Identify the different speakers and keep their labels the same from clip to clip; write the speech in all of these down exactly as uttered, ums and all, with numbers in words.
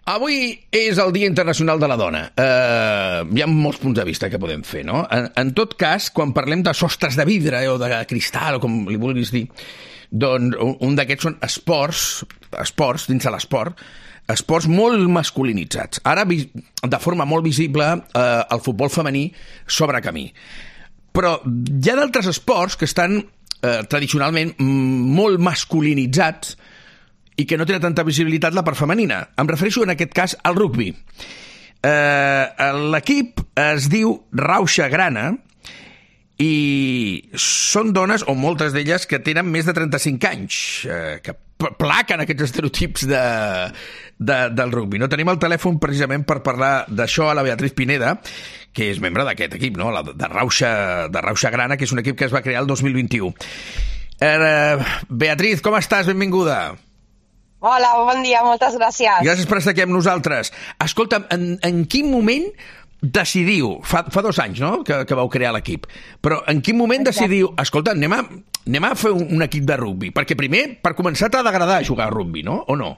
Speaker 1: Avui és el Dia Internacional de la Dona. Uh, hi ha molts punts de vista que podem fer, no? En, en tot cas, quan parlem de sostres de vidre eh, o de cristal, o com li vulguis dir, doncs un, un d'aquests són esports, esports dins de l'esport, esports molt masculinitzats. Ara, de forma molt visible, uh, el futbol femení s'obre camí. Però hi ha d'altres esports que estan uh, tradicionalment molt masculinitzats i que no tenen tanta visibilitat la part femenina. Em refereixo en aquest cas al rugbi. Eh, l'equip es diu Rauxa Grana i són dones, o moltes d'elles, que tenen més de trenta-cinc anys, eh, que plaquen aquests estereotips de, de, del rugbi. No tenim el telèfon precisament per parlar d'això a la Beatriz Pineda, que és membre d'aquest equip, no? La, de, Rauxa, de Rauxa Grana, que és un equip que es va crear el dos mil vint-i-u. Eh, Beatriz, com estàs? Benvinguda.
Speaker 2: Hola, bon dia, moltes gràcies.
Speaker 1: Gràcies per estar aquí amb nosaltres. Escolta'm, en, en quin moment decidiu, fa, fa dos anys, no?, que, que vau crear l'equip, però en quin moment decidiu, escolta, anem a, anem a fer un, un equip de rugbi? Perquè primer, per començar, t'ha d'agradar jugar a rugbi, no? O no?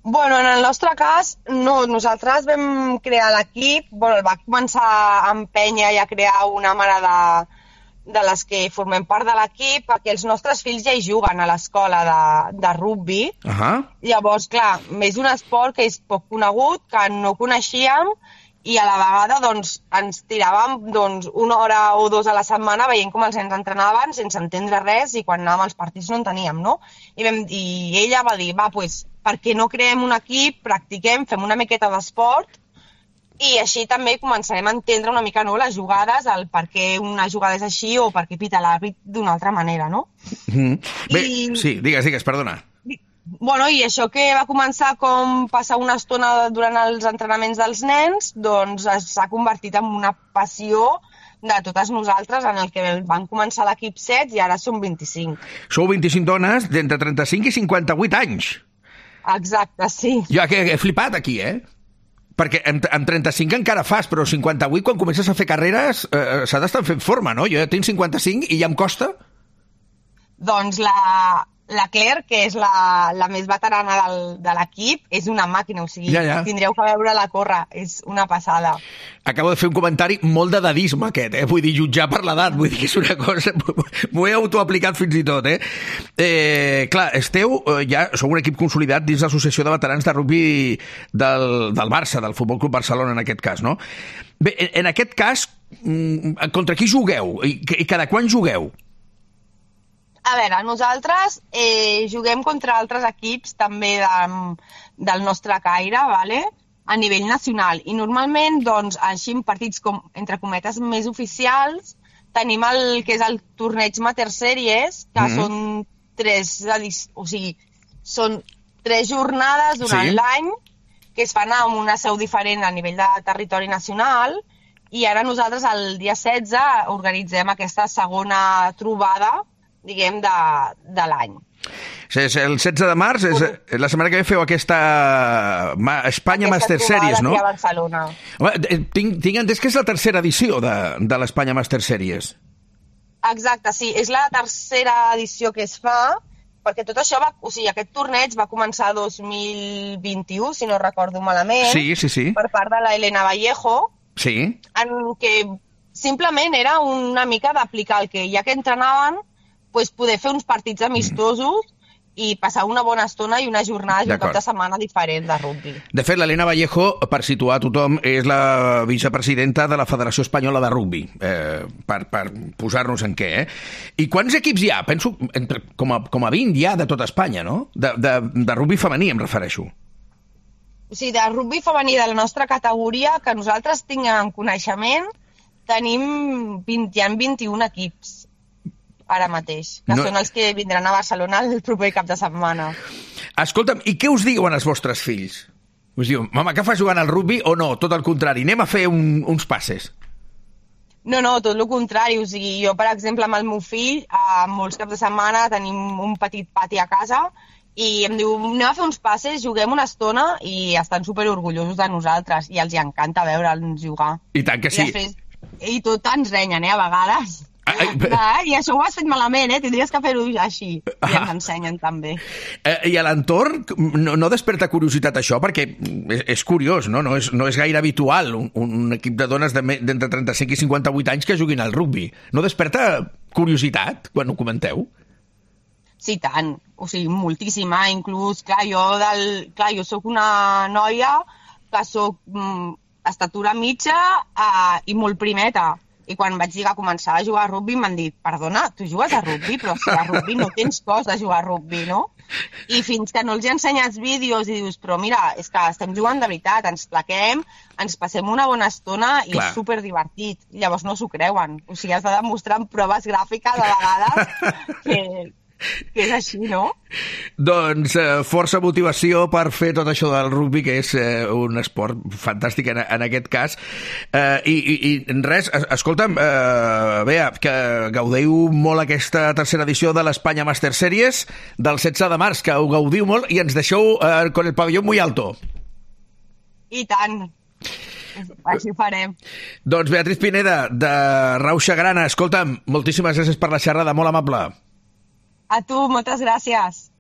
Speaker 2: Bueno, en el nostre cas, no. Nosaltres vam crear l'equip, bueno, el va començar a empènyer i a crear una mare de... de les que formem part de l'equip, perquè els nostres fills ja hi juguen a l'escola de, de rugbi.
Speaker 1: Uh-huh.
Speaker 2: Llavors, clar, és un esport que és poc conegut, que no coneixíem, i a la vegada doncs, ens tiràvem doncs, una hora o dos a la setmana veient com els nens entrenaven sense entendre res, i quan anàvem als partits no en teníem, no? I, vam, i ella va dir, va, doncs, per què no creem un equip, practiquem, fem una miqueta d'esport, i així també començarem a entendre una mica, no, les jugades, el per què una jugada és així o per què pita l'àrbit d'una altra manera, no?
Speaker 1: Mm-hmm. Bé,
Speaker 2: I...
Speaker 1: sí, digues, digues, perdona.
Speaker 2: Bueno, i això que va començar com passar una estona durant els entrenaments dels nens, doncs s'ha convertit en una passió de totes nosaltres, en el que van començar l'equip set i ara som vint-i-cinc.
Speaker 1: Sou vint-i-cinc dones d'entre trenta-cinc i cinquanta-vuit anys.
Speaker 2: Exacte, sí.
Speaker 1: Jo que he flipat aquí, eh? Perquè amb, amb trenta-cinc encara fas, però cinquanta-vuit, quan comences a fer carreres, eh, s'ha d'estar fent forma, no? Jo ja tinc cinquanta-cinc i ja em costa.
Speaker 2: Doncs la, la Claire, que és la, la més veterana del, de l'equip, és una màquina, o sigui,
Speaker 1: ja, ja.
Speaker 2: Tindreu que veure-la córrer, és una passada.
Speaker 1: Acabo de fer un comentari molt de dadisme aquest, eh? Vull dir, jutjar per l'edat, vull dir que és una cosa... M'ho he autoaplicat fins i tot, eh? eh clar, esteu, ja sou un equip consolidat dins l'Associació de Veterans de Rugbi del, del Barça, del Futbol Club Barcelona, en aquest cas, no? Bé, en, en aquest cas, contra qui jugueu? I, i cada quan jugueu?
Speaker 2: A veure, nosaltres eh, juguem contra altres equips també de, del nostre caire, vale? A nivell nacional. I normalment, doncs, així en partits com, entre cometes, més oficials, tenim el que és el torneig Mater Series, que mm-hmm. són tres, o sigui, són tres jornades durant sí. l'any que es fan amb una seu diferent a nivell de territori nacional, i ara nosaltres el dia setze organitzem aquesta segona trobada, diguem, de, de l'any.
Speaker 1: El setze de març, és, la setmana que ve feu aquesta Espanya Master Series, no?
Speaker 2: Aquesta trobada aquí a Barcelona.
Speaker 1: Home, tinc, tinc entès que és la tercera edició de, de l'Espanya Master Series.
Speaker 2: Exacte, sí, és la tercera edició que es fa, perquè tot això va, o sigui, aquest torneig va començar el dos mil vint-i-u, si no recordo malament,
Speaker 1: sí, sí, sí.
Speaker 2: per part de la Elena Vallejo,
Speaker 1: sí.
Speaker 2: en què simplement era una mica d'aplicar el que ja que entrenaven, pues, poder fer uns partits amistosos i passar una bona estona i una jornada i un cap de setmana diferent de rugbi.
Speaker 1: De fet, l'Elena Vallejo, per situar a tothom, és la vicepresidenta de la Federació Espanyola de Rugbi, eh, per, per posar-nos en què, eh? I quants equips hi ha? Penso entre, com, a, com a vint hi ha de tota Espanya, no? De, de, de rugbi femení, em refereixo.
Speaker 2: O sigui, de rugbi femení de la nostra categoria, que nosaltres tinguem coneixement, tenim vint, hi ha vint-i-un equips ara mateix, que no... són els que vindran a Barcelona el proper cap de setmana.
Speaker 1: Escolta'm, i què us diuen els vostres fills? Us diuen, mama, què fas jugant al rugbi o no? Tot el contrari, anem a fer un, uns passes.
Speaker 2: No, no, tot el contrari. O sigui, jo, per exemple, amb el meu fill, a molts caps de setmana tenim un petit pati a casa i em diu, anem a fer uns passes, juguem una estona, i estan superorgullosos de nosaltres i els encanta veure'ns jugar.
Speaker 1: I tant que sí.
Speaker 2: I després, i tot ens renyen, eh, a vegades.
Speaker 1: Ai,
Speaker 2: ah, I això ho has fet malament, eh? Tindries que fer-ho així. I ens ensenyen també.
Speaker 1: Eh, I a l'entorn no, no desperta curiositat això? Perquè és, és curiós, no? No és, no és gaire habitual un, un equip de dones d'entre de, trenta-cinc i cinquanta-vuit anys que juguin al rugbi. No desperta curiositat quan ho comenteu?
Speaker 2: Sí, tant. O sigui, moltíssima. Inclús, clar, jo, del... clar, jo soc una noia que soc mm, estatura mitja uh, i molt primeta. I quan vaig dir que començava a jugar a rugbi m'han dit, perdona, tu jugues a rugbi? Però si a rugbi no tens cos de jugar a rugbi, no? I fins que no els he ensenyat vídeos i dius, però mira, és que estem jugant de veritat, ens plaquem, ens passem una bona estona i Clar. És superdivertit. Llavors no s'ho creuen. O sigui, has de demostrar amb proves gràfiques a vegades que, que és així, no?
Speaker 1: Doncs eh, força motivació per fer tot això del rugbi, que és eh, un esport fantàstic en, en aquest cas. Eh, i, i, I res, escolta'm, eh, Bea, que gaudiu molt aquesta tercera edició de l'Espanya Master Series del setze de març, que ho gaudiu molt i ens deixeu eh, con el pavelló muy alto.
Speaker 2: I tant. Així ho farem.
Speaker 1: Doncs Beatriz Pineda, de Rauxa Grana, escolta'm, moltíssimes gràcies per la xerrada, molt amable.
Speaker 2: A tu, moltes gràcies.